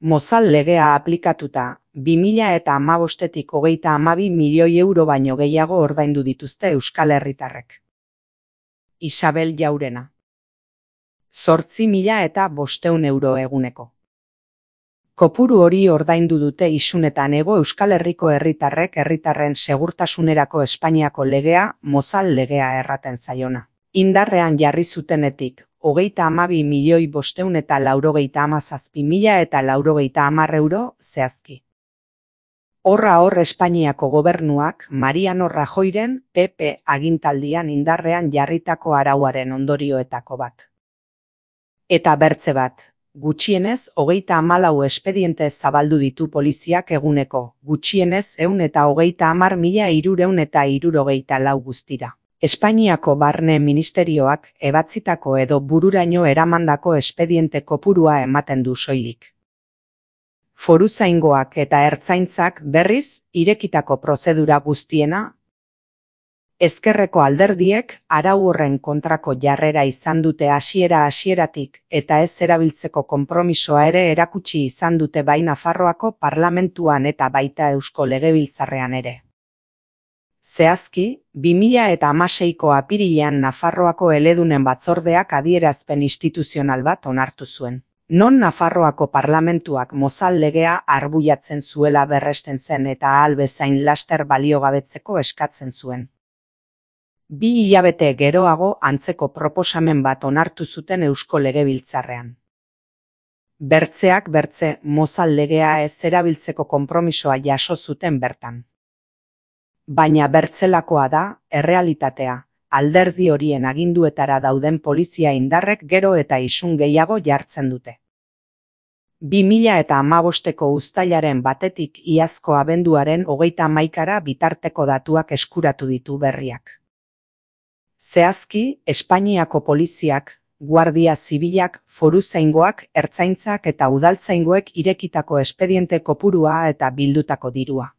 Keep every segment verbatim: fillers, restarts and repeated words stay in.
Mozal legea aplikatuta, bi mila eta hamabostetik hogeita hamabi milioi euro baino gehiago ordaindu dituzte euskal herritarrek. Isabel Jaurena. Zortzi mila eta bosteun euro eguneko. Kopuru hori ordaindu dute isunetan hego Euskal Herriko herritarrek herritarren segurtasunerako Espainiako legea, Mozal legea erraten zaiona. Indarrean jarri zutenetik, hogeita hamabi milioi bosteun eta laurogeita hamazazpi mila eta laurogeita hamar euro zehazki. Horra hor Espainiako gobernuak Mariano Rajoyren P P agintaldian indarrean jarritako arauaren ondorioetako bat. Eta bertze bat, gutxienez hogeita hamalau espediente zabaldu ditu poliziak eguneko, gutxienez ehun eta hogeita hamar mila hirurehun eta hirurogeita lau guztira. Espainiako Barne Ministerioak ebatzitako edo bururaino eramandako espediente kopurua ematen du soilik. Foruzaingoak eta ertzaintzak berriz irekitako prozedura guztiena. Ezkerreko alderdiek arau horren kontrako jarrera izan dute hasiera hasieratik eta ez erabiltzeko konpromisoa ere erakutsi izan dute bai Nafarroako parlamentuan eta baita Eusko Legebiltzarrean ere. Zehazki, bi mila eta hamaseiko apirilean Nafarroako eledunen batzordeak adierazpen instituzional bat onartu zuen. Non Nafarroako parlamentuak Mozal legea arbuiatzen zuela berresten zen eta ahal bezain laster baliogabetzeko eskatzen zuen. Bi hilabete geroago antzeko proposamen bat onartu zuten Eusko Legebiltzarrean. Bertzeak bertze Mozal legea ez erabiltzeko konpromisoa jaso zuten bertan. Baina bertzelakoa da, errealitatea, alderdi horien aginduetara dauden polizia indarrek gero eta isun gehiago jartzen dute. Bi mila eta hamabosteko uztailaren batetik iazko abenduaren hogeita hamaikara bitarteko datuak eskuratu ditu berriak. Zehazki, Espainiako poliziak, Guardia Zibilak, foruzaingoak, ertzaintzak eta udaltzaingoek irekitako espediente kopurua eta bildutako dirua.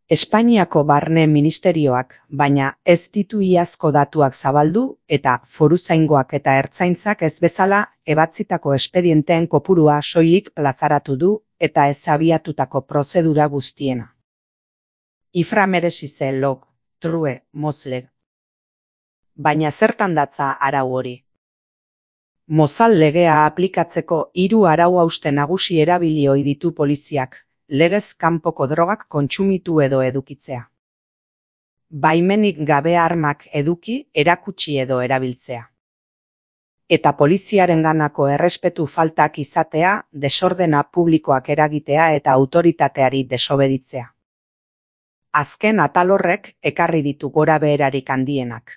Espainiako Barne Ministerioak, baina ez ditu iazko datuak zabaldu eta foruzaingoak eta ertzaintzak ez bezala ebatzitako espedienteen kopurua soilik plazaratu du eta ez abiatutako prozedura guztiena. Ifra meresize log, true, mozleg. Baina zertan datza arau hori? Mozal legea aplikatzeko hiru arau hauste nagusi erabili ohi ditu poliziak. Legez kanpoko drogak kontsumitu edo edukitzea. Baimenik gabe armak eduki, erakutsi edo erabiltzea. Eta poliziarenganako errespetu faltak izatea, desordena publikoak eragitea eta autoritateari desobeditzea. Azken atal horrek ekarri ditu gora beherarik handienak.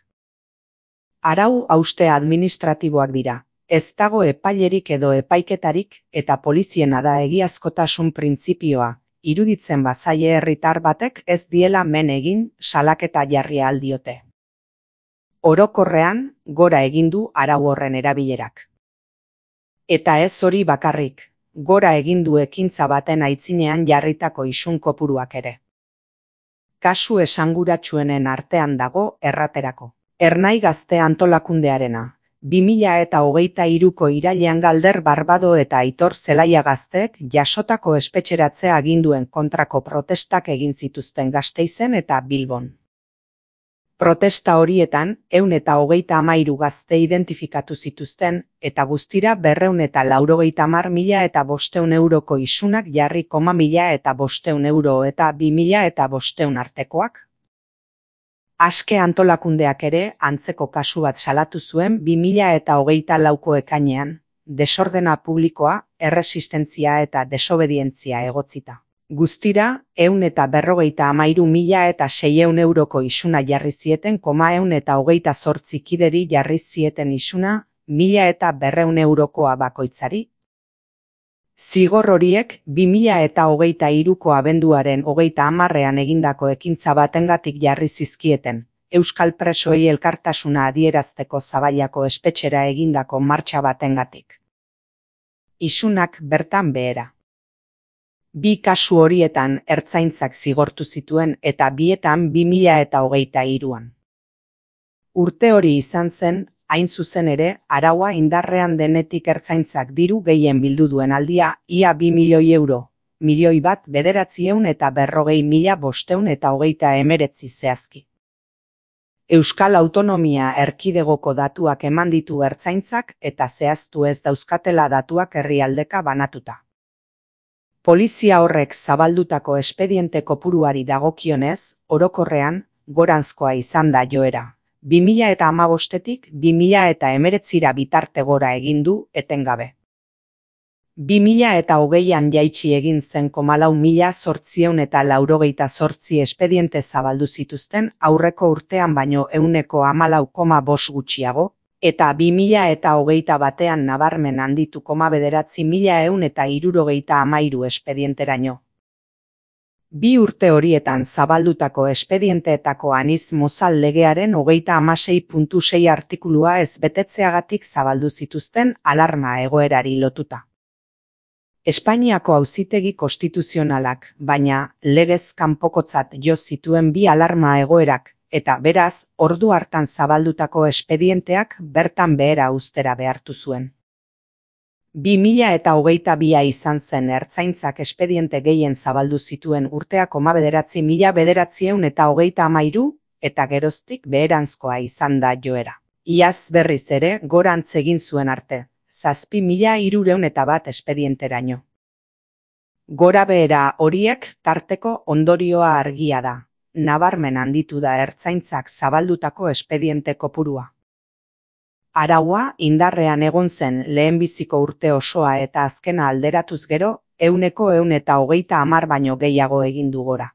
Arau hauste administratiboak dira. Ez dago epailerik edo epaiketarik eta poliziena da egiazkotasun printzipioa, iruditzen bazaie herritar batek ez diela men egin salaketa jarri aldiote. Orokorrean, gora egin du arau horren erabilerak. Eta ez hori bakarrik, gora egin du ekintza baten aitzinean jarritako isun kopuruak ere. Kasu esanguratsuenen artean dago erraterako. Ernai Gazte antolakundearena. bi mila eta hogeita hiruko irailean Galder Barbado eta Aitor Zelaia gazteek jasotako espetxeratzea aginduen kontrako protestak egin zituzten Gasteizen eta Bilbon. Protesta horietan, ehun eta hogeita hamairu gazte identifikatu zituzten, eta guztira berrehun eta laurogeita hamar mila eta bosteun euroko isunak jarri koma mila eta bosteun euro eta bi mila eta bosteun artekoak. Aske antolakundeak ere antzeko kasu bat salatu zuen bi mila eta hogeita lauko ekainean, desordena publikoa, erresistentzia eta desobedientzia egotzita. Guztira, ehun eta berrogeita hamairu mila eta seiehun euroko isuna jarri zieten koma ehun eta hogeita zortzi kideri jarri zieten isuna, mila eta berrehun eurokoa bakoitzari. Zigor horiek bi mila eta hogeita hiruko abenduaren hogeita hamarrean egindako ekintza batengatik jarri zizkieten, euskal presoei elkartasuna adierazteko Zabailako espetxera egindako martxa batengatik. Isunak bertan behera. Bi kasu horietan ertzaintzak zigortu zituen eta bietan bi mila eta hogeita hiruan. Urte hori izan zen, hain zuzen ere, araua indarrean denetik ertzaintzak diru gehien bildu duen aldia, ia bi milioi euro, milioi bat bederatziehun eta berrogei mila bosteun eta hogeita emeretzi zehazki. Euskal Autonomia Erkidegoko datuak eman ditu ertzaintzak eta zehaztu ez dauzkatela datuak herrialdeka banatuta. Polizia horrek zabaldutako espediente kopuruari dagokionez, orokorrean, goranzkoa izan da joera. bi mila eta hamabostetik bi mila eta hemeretzira bitarte gora egin du etengabe. bi mila eta hogeian jaitsi egin zen komalau mila zortzieun eta laurogeita zortzi espediente zabaldu zituzten aurreko urtean baino ehuneko hamalau koma bost gutxiago, eta bi mila eta hogeita batean nabarmen handitu koma bederatzi mila ehun eta hirurogeita hamairu espedienteraino. Bi urte horietan zabaldutako espedienteetako aniz mozal legearen hogeita hamasei puntu sei artikulua ez betetzeagatik zabaldu zituzten alarma egoerari lotuta. Espainiako Auzitegi Konstituzionalak, baina legez kanpokotzat jo zituen bi alarma egoerak, eta beraz, ordu hartan zabaldutako espedienteak bertan behera uztera behartu zuen. bi mila eta hogeita bia izan zen ertzaintzak espediente gehien zabaldu zituen urtea koma bederatzi mila bederatzieun eta hogeita hamairu, eta geroztik beheranzkoa izan da joera. Iaz berriz ere gorantz egin zuen arte, zazpi mila hirureun eta bat espedienteraino. Gora behera horiek tarteko ondorioa argia da, nabarmen handitu da ertzaintzak zabaldutako espediente kopurua. Araua indarrean egon zen lehenbiziko urte osoa eta azkena alderatuz gero, ehuneko ehun eta hogeita hamar baino gehiago egin du gora.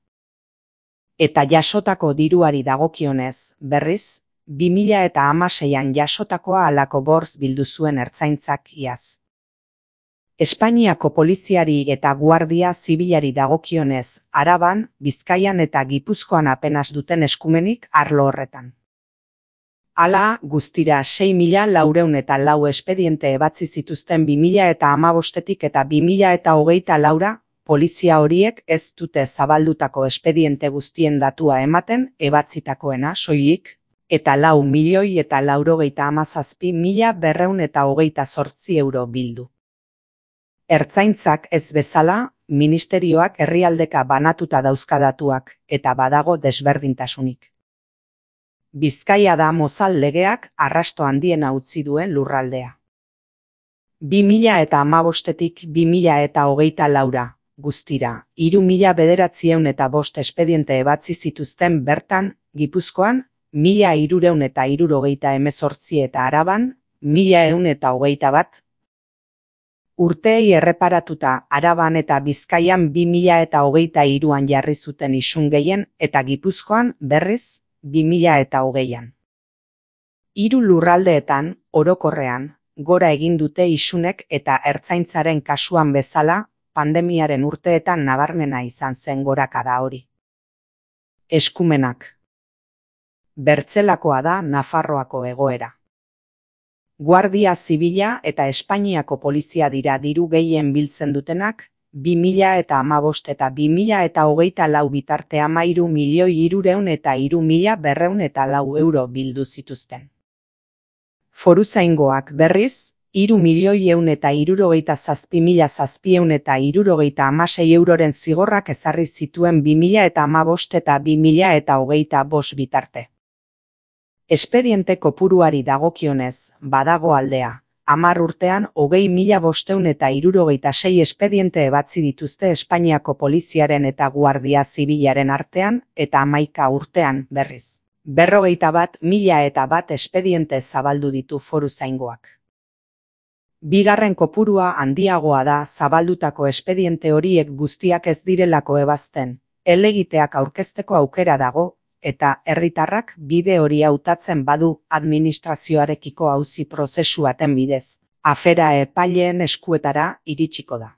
Eta jasotako diruari dagokionez, berriz, bi mila eta hamaseian jasotakoa halako borz bildu zuen ertzaintzak iaz. Espainiako poliziari eta guardia zibilari dagokionez, Araban, Bizkaian eta Gipuzkoan apenas duten eskumenik arlo horretan. Hala, guztira sei mila laurehun eta lau espediente ebatzi zituzten bi mila eta hamabostetik eta bi mila eta hogeita laura, polizia horiek ez dute zabaldutako espediente guztien datua ematen ebatzitakoena soilik, eta lau milioi eta laurogeita hamazazpi mila berreun eta hogeita zortzi euro bildu. Ertzaintzak ez bezala, ministerioak herrialdeka banatuta dauzka datuak, eta badago desberdintasunik. Bizkaia da mozal legeak arrasto handiena utzi duen lurraldea. bi mila eta hamabostetik bi mila eta hogeita laura, guztira, hiru mila bederatzieun eta bost espediente ebatzi zituzten bertan, Gipuzkoan, mila hirureun eta hirurogeita hemezortzi eta Araban, mila ehun eta hogeita bat. Urteei erreparatuta Araban eta Bizkaian bi mila eta hogeita hiruan jarri zuten isun gehien eta Gipuzkoan berriz bi mila eta hogeian. Hiru lurraldeetan, orokorrean, gora egin dute isunek eta ertzaintzaren kasuan bezala, pandemiaren urteetan nabarmena izan zen gorakada hori. Eskumenak. Bertzelakoa da Nafarroako egoera. Guardia Zibila eta Espainiako polizia dira diru gehien biltzen dutenak, bi mila eta hamabost eta bi mila eta hogeita lau bitarte hamairu milioi hirureun eta hiru mila berreun eta lau euro bildu zituzten. Foruzaingoak berriz, hiru milioi ehun eta hirurogeita zazpi mila zazpieun eta hirurogeita hamasei euroren zigorrak ezarri zituen bi mila eta hamabost eta bi mila eta hogeita bost bitarte. Espediente kopuruari dagokionez, badago aldea. Hamar urtean hogei mila bosteun eta hirurogeita sei espediente ebatzi dituzte Espainiako poliziaren eta guardia zibilaren artean eta hamaika urtean berriz. Berrogeita bat mila eta bat espediente zabaldu ditu foruzaingoak. Bigarren kopurua handiagoa da zabaldutako espediente horiek guztiak ez direlako ebazten, helegiteak aurkezteko aukera dago, eta herritarrak bide hori hautatzen badu administrazioarekiko auzi prozesu baten bidez, afera epaileen eskuetara iritsiko da.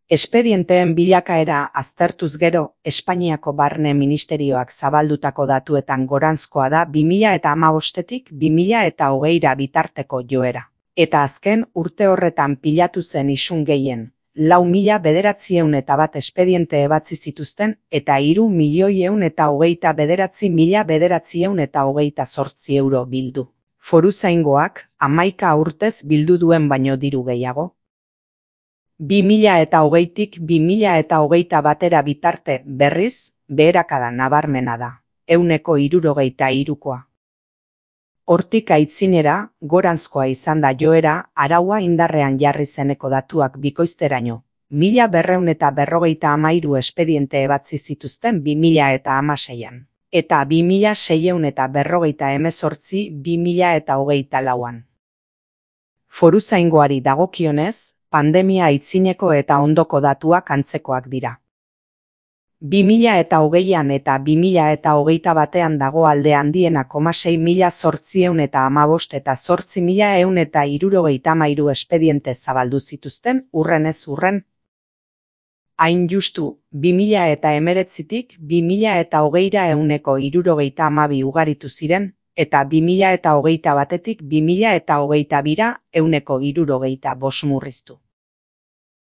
Espedienteen bilakaera aztertuz gero, Espainiako Barne Ministerioak zabaldutako datuetan goranzkoa da bi mila eta hamabostetik bi mila eta hogeira bitarteko joera. Eta azken urte horretan pilatu zen isun gehien, lau mila bederatzieun eta bat espediente ebatzi zituzten eta hiru milioi ehun eta hogeita bederatzi mila bederatzieun eta hogeita zortzi euro bildu. Foruzaingoak hamaika urtez bildu duen baino diru gehiago. bi mila eta hogeitik bi mila eta hogeita batera bitarte berriz, beherakada nabarmena da, ehuneko hirurogeita hirukoa. Hortik aitzinera, goranzkoa izan da joera, araua indarrean jarri zeneko datuak bikoizteraino. Mila berreun eta berrogeita hamairu espediente ebatzi zituzten bi mila eta hamaseian. Eta bi mila seiehun eta berrogeita hemezortzi bi mila eta hogeita lauan. Foruzaingoari dagokionez, pandemia aitzineko eta ondoko datuak antzekoak dira. bi mila eta hogeian eta bi mila eta hogeita batean dago alde handiena koma sei mila zortziehun eta hamabost eta zortzi mila ehun eta hirurogeita hamairu espediente zabaldu zituzten urrenez urren. Hain justu, bi mila eta hemeretzitik bi mila eta hogeira ehuneko hirurogeita hamabi ugaritu ziren, eta bi mila eta hogeita batetik bi mila eta hogeita bira ehuneko hirurogeita bost murriztu.